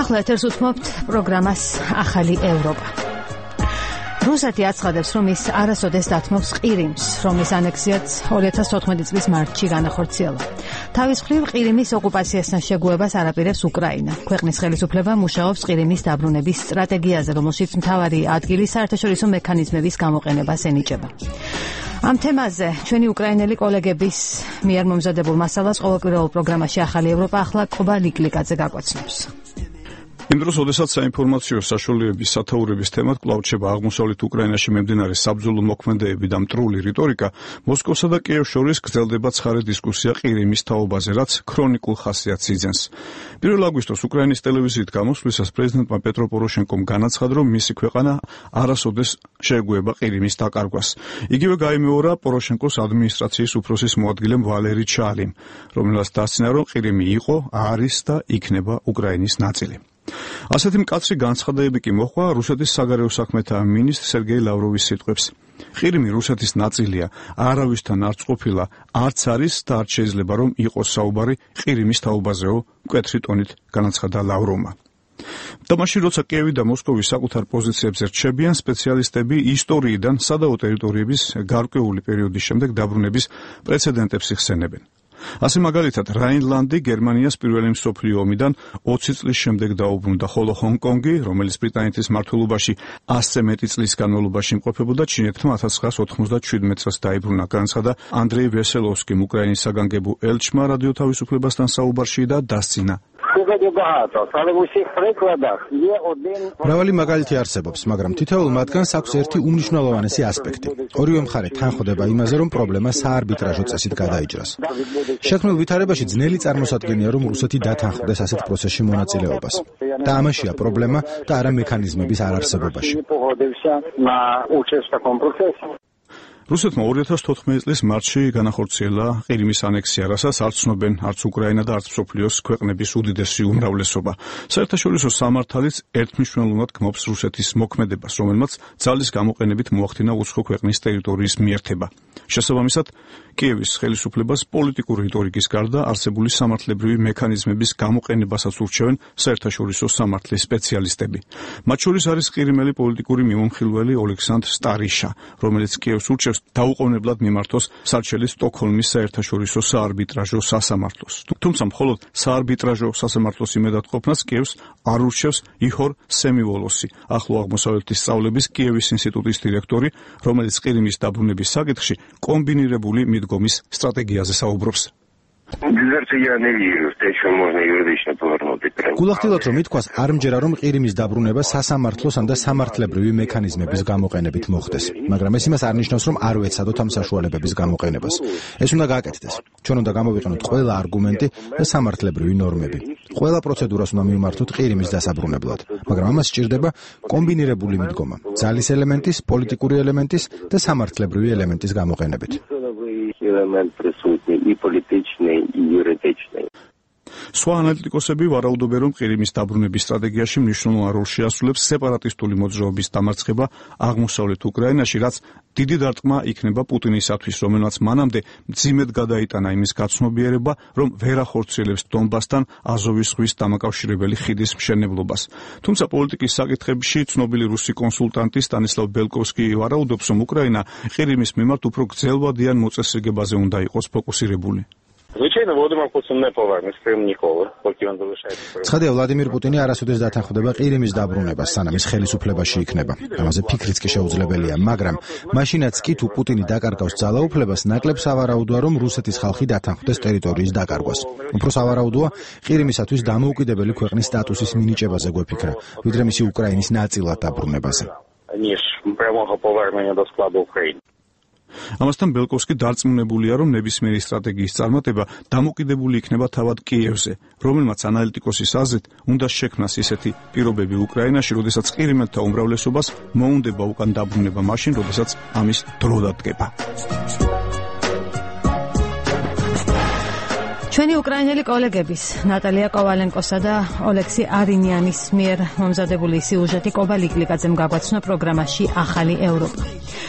ახლა ეთერს უთმობთ პროგრამას ახალი ევროპა. რუსეთი აცხადებს, რომ ის არასოდეს დათმობს ყირიმს, რომლის ანექსიაც 2014 წლის მარტში განახორციელა. თავის მხრივ ყირიმის ოკუპაციასთან შეგუებას არაპირებს უკრაინა. ქვეყნის ხელისუფლება მუშაობს ყირიმის დაბრუნების სტრატეგიაზე, რომელშიც მთავარი ადგილი საერთაშორისო მექანიზმების გამოყენებას ენიჭება. ამ თემაზე ჩვენი უკრაინელი კოლეგების მიერ მომზადებულ მასალას ყოველკვირეულ პროგრამაში ახალი ევროპა ახლა კობა ლიკლიკაძე გაგვაცნობს. იმ დროს, როდესაც საინფორმაციო საშუალებების სათაურების თემად კვლავ რჩება აღმოსავლეთ უკრაინაში მიმდინარე საბრძოლო მოქმედებები და მტრული რიტორიკა, მოსკოვსა და კიევს შორის გრძელდება ცხარე დისკუსია ყირიმის თაობაზე, რაც ქრონიკულ ხასიათს იძენს. 1 აგვისტოს უკრაინის ტელევიზიით გამოსვლისას პრეზიდენტმა პეტრო პოროშენკომ განაცხადა, რომ მისი ქვეყანა არასოდეს შეეგუება ყირიმის დაკარგვას. იგივე გაიმეორა პოროშენკოს ადმინისტრაციის უფროსის მოადგილემ ვალერი ჩალიმ, რომელსაც დასცინა, რომ ყირიმი იყო, არის და იქნება უკრაინის ნაწილი. ასეთი მკაცრი განცხადებები კი მოჰყვა რუსეთის საგარეო საქმეთა მინისტრ სერგეი ლავროვის სიტყვებს. ყირიმი რუსეთის ნაწილია, არავისთან არ წყობილა, არც არის და არ შეიძლება რომ იყოს საუბარი ყირიმის თაობაზეო, მკვეთრი ტონით განაცხადა ლავროვმა. და მაშინ, როცა კიევი და მოსკოვი საკუთარ პოზიციებზე რჩებიან, სპეციალისტები ისტორიიდან სადაო ტერიტორიების გარკვეული პერიოდის შემდეგ დაბრუნების პრეცედენტებს იხსენებენ. ასე მაგალითად, რაინლანდი გერმანიას პირველი მსოფლიო ომიდან 20 წლის შემდეგ დაუბრუნდა, ხოლო ჰონგ-კონგი, რომელიც ბრიტანეთის მმართველობაში 100-ზე მეტი წლის განმავლობაში იმყოფებოდა, ჩინეთმა 1997 წელს დაიბრუნა, განაცხადა ანდრეი ვესელოვსკიმ, უკრაინის საგანგებო ელჩმა რადიო თავისუფლებასთან საუბარში და დასცინა. მრავალი მაგალითი არსებობს, მაგრამ თითოეულ მათგანს აქვს ერთი უმნიშვნელოვანესი ასპექტი. ორივე მხარე თანხმდება იმაზე, რომ პრობლემა საარბიტრაჟო წესით გადაიჭრას. შექმნილ ვითარებაში ძნელი წარმოსადგენია, რომ რუსეთი დათანხმდეს ასეთ პროცესში მონაწილეობას. და ამაშია პრობლემა და არა მექანიზმების არარსებობაში. რუსეთმა 2014 წლის მარტში განახორციელა ყირიმის ანექსია, რასაც არც ცნობენ არც უკრაინა და არც მსოფლიოს ქვეყნების უდიდესი უმრავლესობა. საერთაშორისო სამართალიც ერთმნიშვნელოვნად გმობს რუსეთის მოქმედებას, რომელმაც ძალის გამოყენებით მოახდინა უცხო ქვეყნის ტერიტორიის მიერთება. შესაბამისად, კიევის ხელისუფლებას პოლიტიკური რიტორიკის გარდა არსებული სამართლებრივი მექანიზმების გამოყენებასაც ურჩევენ საერთაშორისო სამართლის სპეციალისტები. მათ შორის არის ყირიმელი პოლიტიკური მიმომხილველი ოლექსანდრ სტარიშა, რომელიც კიევს ურჩევს დაუყოვნებლად მიმართოს სარჩელი სტოკჰოლმის საერთაშორისო საარბიტრაჟო სასამართლოს. თუმცა მხოლოდ საარბიტრაჟო სასამართლოს იმედად ყოფნას კიევს არ ურჩევს იჰორ სემივოლოსი, ახლო აღმოსავლეთის სწავლების კიევის ინსტიტუტის დირექტორი, რომელიც ყირიმის დაბრუნების საკითხში კომბინირებული მიდგომის სტრატეგიაზე საუბრობს. გულახდილად რომ ითქვას, არ მჯერა რომ ყირიმის დაბრუნება სასამართლოს და სამართლებრივი მექანიზმების გამოყენებით მოხდეს, მაგრამ ეს იმას არ ნიშნავს, რომ არ ვეცადოთ ამ საშუალებების გამოყენებას. ეს უნდა გააკეთდეს. ჩვენ უნდა გამოვიყენოთ ყველა არგუმენტი და სამართლებრივი ნორმები. ყველა პროცედურას უნდა მივმართოთ ყირიმის დასაბრუნებლად, მაგრამ ამას სჭირდება კომბინირებული მიდგომა, ძალის ელემენტის, პოლიტიკური ელემენტის და სამართლებრივი ელემენტის გამოყენებით. სხვა ანალიტიკოსები ვარაუდობენ, რომ ყირიმის დაბრუნების სტრატეგიაში მნიშვნელოვან როლს შეასრულებს სეპარატისტული მოძრაობის დამარცხება აღმოსავლეთ უკრაინაში, რაც დიდი დარტყმა იქნება პუტინისათვის, რომელმაც მანამდე მძიმედ გადაიტანა იმის გაცნობიერება, რომ ვერ ახორციელებს დონბასთან აზოვის ზღვის დამაკავშირებელი ხიდის მშენებლობას. თუმცა პოლიტიკის საკითხებში ცნობილი რუსი კონსულტანტი სტანისლავ ბელკოვსკი ვარაუდობს, რომ უკრაინა ყირიმის მიმართ უფრო გრძელვადიან მოწესრიგებაზე უნდა იყოს ფოკუსირებული. ცხადია, ვლადიმირ პუტინი არასოდეს დათანხმდება ყირიმის დაბრუნებას, სანამ ის ხელისუფლებაში იქნება. ამაზე ფიქრიც კი შეუძლებელია, მაგრამ მაშინაც კი თუ პუტინი დაკარგავს ძალაუფლებას, ნაკლებ სავარაუდოა, რომ რუსეთის ხალხი დათანხმდეს ტერიტორიის დაკარგვას. უფრო სავარაუდოა ყირიმისათვის დამოუკიდებელი ქვეყნის სტატუსის მინიჭებაზე გვეფიქრა, ვიდრე მისი უკრაინის ნაწილად დაბრუნებაზე. ამასთან ბელკოვსკი დარწმუნებულია, რომ ნებისმიერი სტრატეგიის წარმატება დამოკიდებული იქნება თავად კიევზე, რომელმაც ანალიტიკოსის აზრით უნდა შექმნას ისეთი პირობები უკრაინაში, როდესაც ყირიმელთა უმრავლესობას მოუნდება უკან დაბრუნება მაშინ, როდესაც ამის დრო დადგება. ჩვენი უკრაინელი კოლეგების ნატალია კოვალენკოსა და ოლექსი არინიანის მიერ მომზადებული სიუჟეტი კობა ლიკლიკაძემ გაგვაცნო პროგრამაში ახალი ევროპა.